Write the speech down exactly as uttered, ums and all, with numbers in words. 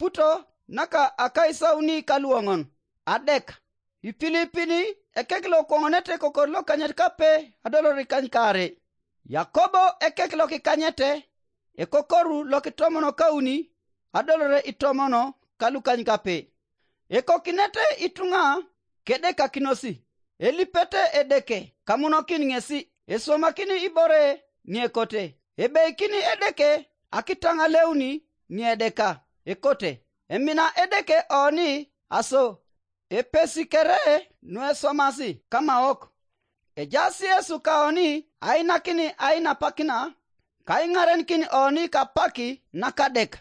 eputo naka akaisauni kaluoŋon. Adek. Ipilipini ekek lokoŋonete kokor lokanyit kape adolor ikany kaare. Yakobo ekek lokikanyete ekokoru lokitomono kauni adolore itomono kalukany kape. Ekokinete ituŋa kedekakinosi. Elipete Edeke kamunokin ŋesi. Eswomakini ibore ŋiekote. Ebeikini Edeke akitaŋaleuni ŋiedeka ekote. Emina Edeke oni aso epesi kere nueswamasi kamaok. Ejaas Yesu kaoni ainakini ainapakina kaiŋarenikin oni kapaki nakadek.